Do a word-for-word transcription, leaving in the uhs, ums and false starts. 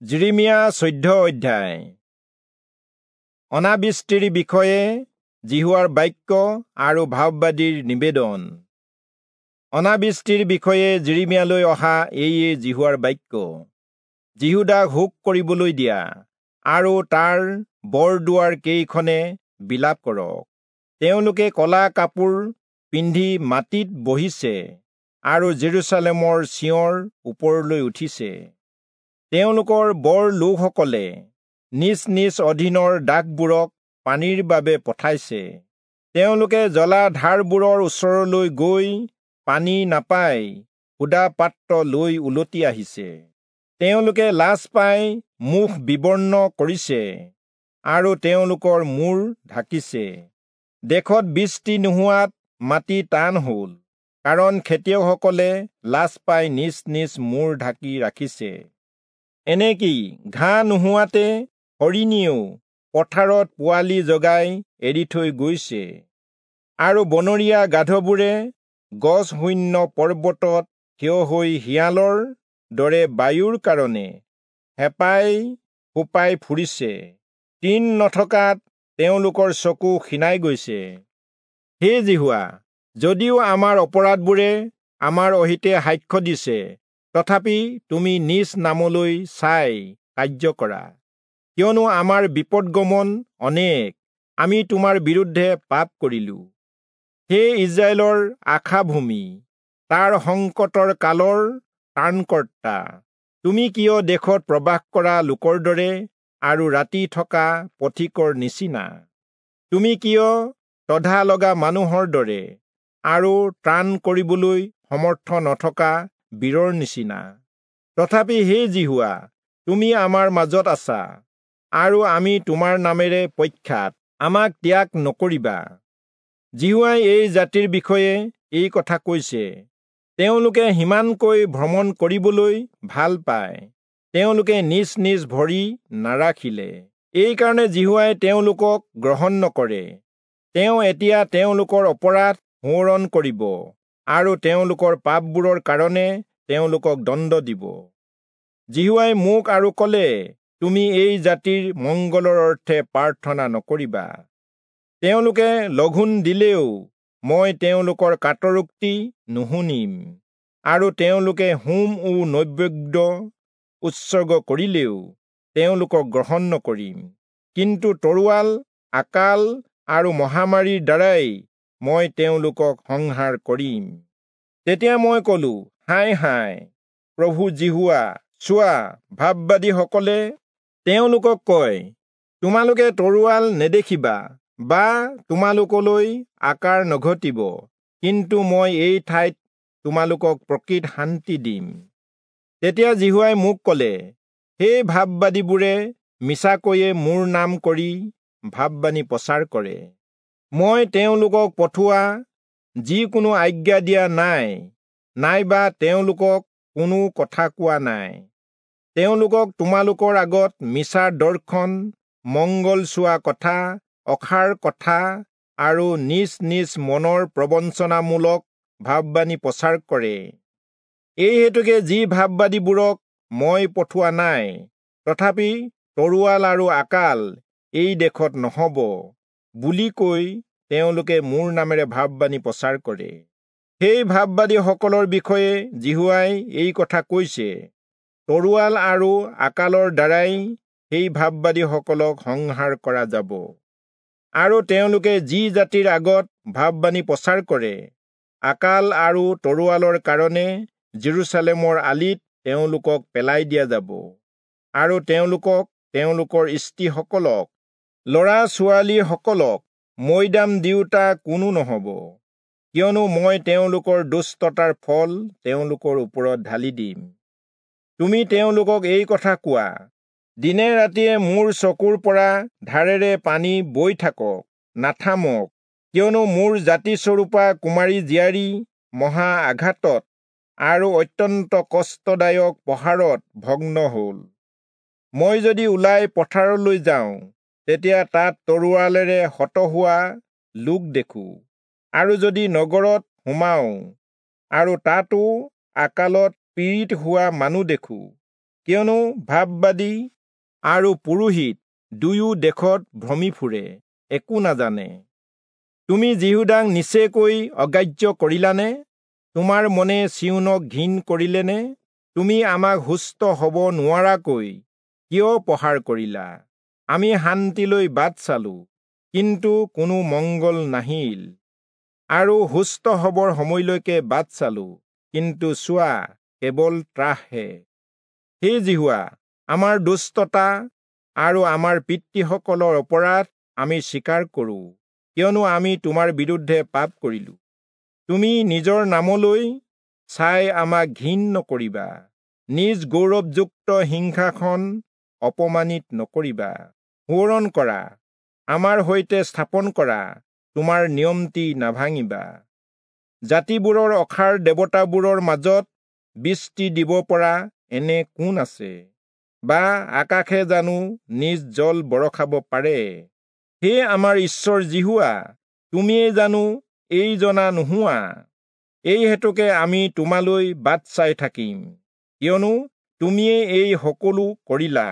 যিৰিমিয়া চৈধ্য অধ্যায়। অনাবৃষ্টিৰ বিষয়ে যিহোৱাৰ বাক্য আৰু ভাববাদীৰ নিবেদন। অনাবৃষ্টিৰ বিষয়ে যিৰিমিয়ালৈ অহা এইয়ে যিহোৱাৰ বাক্য। যিহূদাক শোক কৰিবলৈ দিয়া আৰু তাৰ বৰদুৱাৰ কেইখনে বিলাপ কৰক। তেওঁলোকে কলা কাপোৰ পিন্ধি মাটিত বহিছে আৰু জেৰুচালেমৰ চিঞৰ ওপৰলৈ উঠিছে। তেওঁলোকৰ বৰ লোকসকলে নিজ নিজ অধীনৰ দাসবোৰক পানীৰ বাবে পঠাইছে। তেওঁলোকে জলাধাৰবোৰৰ ওচৰলৈ গৈ পানী নাপাই সুদা পাত্ৰ লৈ উলটি আহিছে। তেওঁলোকে লাজ পাই মুখ বিবৰ্ণ কৰিছে আৰু তেওঁলোকৰ মূৰ ঢাকিছে। দেশত বৃষ্টি নোহোৱাত মাটি টান হ'ল, কাৰণ খেতিয়কসকলে লাজ পাই নিজ নিজ মূৰ ঢাকি ৰাখিছে। এনেকি ঘাঁহ নোহোৱাতে হৰিণীয়েও পথাৰত পোৱালি জগাই এৰি থৈ গৈছে, আৰু বনৰীয়া গাধবোৰে গছ শূন্য পৰ্বতত থিয় হৈ শিয়ালৰ দৰে বায়ুৰ কাৰণে হেঁপাই ফোপাই ফুৰিছে। তৃণ নথকাত তেওঁলোকৰ চকু ক্ষীণাই গৈছে। হে যিহোৱা, যদিও আমাৰ অপৰাধবোৰে আমাৰ অহিতে সাক্ষ্য দিছে, তথাপি তুমি নিজ নামলৈ চাই কাৰ্য কৰা। কিয়নো আমাৰ বিপদগমন অনেক, আমি তোমাৰ বিৰুদ্ধে পাপ কৰিলো। হে ইস্ৰায়েলৰ আশাভূমি, তাৰ সংকটৰ কালৰ ত্ৰাণকৰ্তা, তুমি কিয় দেশত প্ৰবাস কৰা লোকৰ দৰে আৰু ৰাতি থকা পথিকৰ নিচিনা? তুমি কিয় তধা লগা মানুহৰ দৰে আৰু ত্ৰাণ কৰিবলৈ সমৰ্থ নথকা বীৰৰ নিচিনা? তথাপি হে যিহোৱা, তুমি আমাৰ মাজত আছা, আৰু আমি তোমাৰ নামেৰে প্ৰখ্যাত, আমাক ত্যাগ নকৰিবা। যিহোৱাই এই জাতিৰ বিষয়ে এই কথা কৈছে, তেওঁলোকে সিমানকৈ ভ্ৰমণ কৰিবলৈ ভাল পায়, তেওঁলোকে নিজ নিজ ভৰি নাৰাখিলে। এইকাৰণে যিহোৱাই তেওঁলোকক গ্ৰহণ নকৰে। তেওঁ এতিয়া তেওঁলোকৰ অপৰাধ সোঁৱৰণ কৰিব আৰু তেওঁলোকৰ পাপবোৰৰ কাৰণে তেওঁলোকক দণ্ড দিব। যিহোৱাই মোক আৰু ক'লে, তুমি এই জাতিৰ মংগলৰ অৰ্থে প্ৰাৰ্থনা নকৰিবা। তেওঁলোকে লঘোণ দিলেও মই তেওঁলোকৰ কাতৰোক্তি নুশুনিম, আৰু তেওঁলোকে হোম ও নৈবেদ্য উৎসৰ্গ কৰিলেও তেওঁলোকক গ্ৰহণ নকৰিম। কিন্তু তৰোৱাল, আকাল আৰু মহামাৰীৰ দ্বাৰাই মই তেওঁলোকক সংহাৰ কৰিম। তেতিয়া মই কলো, হায় হায় প্ৰভু যিহোৱা, চোৱা, ভাববাদীসকলে তেওঁলোকক কয়, তোমালোকে তৰোৱাল নেদেখিবা বা তোমালোকলৈ আকাৰ নঘটিব, কিন্তু মই এই ঠাইত তোমালোকক প্ৰকৃত শান্তি দিম। তেতিয়া যিহোৱাই মোক ক'লে, সেই ভাববাদীবোৰে মিছাকৈয়ে মোৰ নাম কৰি ভাববাণী প্ৰচাৰ কৰে। মই তেওঁলোকক পঠোৱা যিকোনো আজ্ঞা দিয়া নাই, নাইবা তেওঁলোকক কোনো কথা কোৱা নাই। তেওঁলোকক তোমালোকৰ আগত মিছা দৰ্শন, মংগল চোৱা কথা, অসাৰ কথা আৰু নিজ নিজ মনৰ প্ৰবঞ্চনামূলক ভাববাণী প্ৰচাৰ কৰে। এই হেতুকে যি ভাববাদীবোৰক মই পঠোৱা নাই, তথাপি তৰোৱাল আৰু আকাল এই দেশত নহ'ব বুলি কৈ তেওঁলোকে মোৰ নামেৰে ভাববাণী প্ৰচাৰ কৰে। সেই ভাববাদীসকলৰ বিষয়ে যিহোৱাই এই কথা কৈছে, তৰোৱাল আৰু আকালৰ দ্বাৰাই সেই ভাববাদীসকলক সংহাৰ কৰা যাব। আৰু তেওঁলোকে যি জাতিৰ আগত ভাববাণী প্ৰচাৰ কৰে, আকাল আৰু তৰোৱালৰ কাৰণে জেৰুচালেমৰ আলিত তেওঁলোকক পেলাই দিয়া যাব, আৰু তেওঁলোকক, তেওঁলোকৰ স্ত্ৰীসকলক, ল'ৰা ছোৱালীসকলক মৈদাম দিওঁতা কোনো নহ'ব, কিয়নো মই তেওঁলোকৰ দুষ্টতাৰ ফল তেওঁলোকৰ ওপৰত ঢালি দিম। তুমি তেওঁলোকক এই কথা কোৱা, দিনে ৰাতিয়ে মোৰ চকুৰ পৰা ধাৰেৰে পানী বৈ থাকক, নাথামক, কিয়নো মোৰ জাতিস্বৰূপা কুমাৰী জীয়াৰী মহা আঘাতত আৰু অত্যন্ত কষ্টদায়ক প্ৰহাৰত ভগ্ন হ'ল। মই যদি ওলাই পথাৰলৈ যাওঁ, তেতিয়া তাত তৰোৱালেৰে হত হোৱা লোক দেখোঁ, আৰু যদি নগৰত সোমাওঁ আৰু তাতো আকালত পীড়িত হোৱা মানুহ দেখোঁ, কিয়নো ভাববাদী আৰু পুৰোহিত দুয়ো দেশত ভ্ৰমি ফুৰে, একো নাজানে। তুমি যিহূদাক নিচেকৈ অগ্ৰাহ্য কৰিলানে? তোমাৰ মনে চিয়োনক ঘিণ কৰিলেনে? তুমি আমাক সুস্থ হ'ব নোৱাৰাকৈ কিয় প্ৰহাৰ কৰিলা? আমি শান্তিলৈ বাট চালো, কিন্তু কোনো মংগল নাহিল, আৰু সুস্থ হ'বৰ সময়লৈকে বাট চালো, কিন্তু চোৱা, কেৱল ত্ৰাসহে। হে যিহোৱা, আমাৰ দুষ্টতা আৰু আমাৰ পিতৃসকলৰ অপৰাধ আমি স্বীকাৰ কৰোঁ, কিয়নো আমি তোমাৰ বিৰুদ্ধে পাপ কৰিলো। তুমি নিজৰ নামলৈ চাই আমাক ঘিণ নকৰিবা, নিজ গৌৰৱযুক্ত সিংহাসন অপমানিত নকৰিবা। সোঁৱৰণ কৰা, আমাৰ সৈতে স্থাপন কৰা তোমাৰ নিয়মটি নাভাঙিবা। জাতিবোৰৰ অসাৰ দেৱতাবোৰৰ মাজত বৃষ্টি দিব পৰা এনে কোন আছে? বা আকাশে জানো নিজ জল বৰষাব পাৰে? হে আমাৰ ঈশ্বৰ যিহোৱা, তুমিয়েই জানো এই জনা নোহোৱা? এই হেতুকে আমি তোমালৈ বাট চাই থাকিম, কিয়নো তুমিয়েই এই সকলো কৰিলা।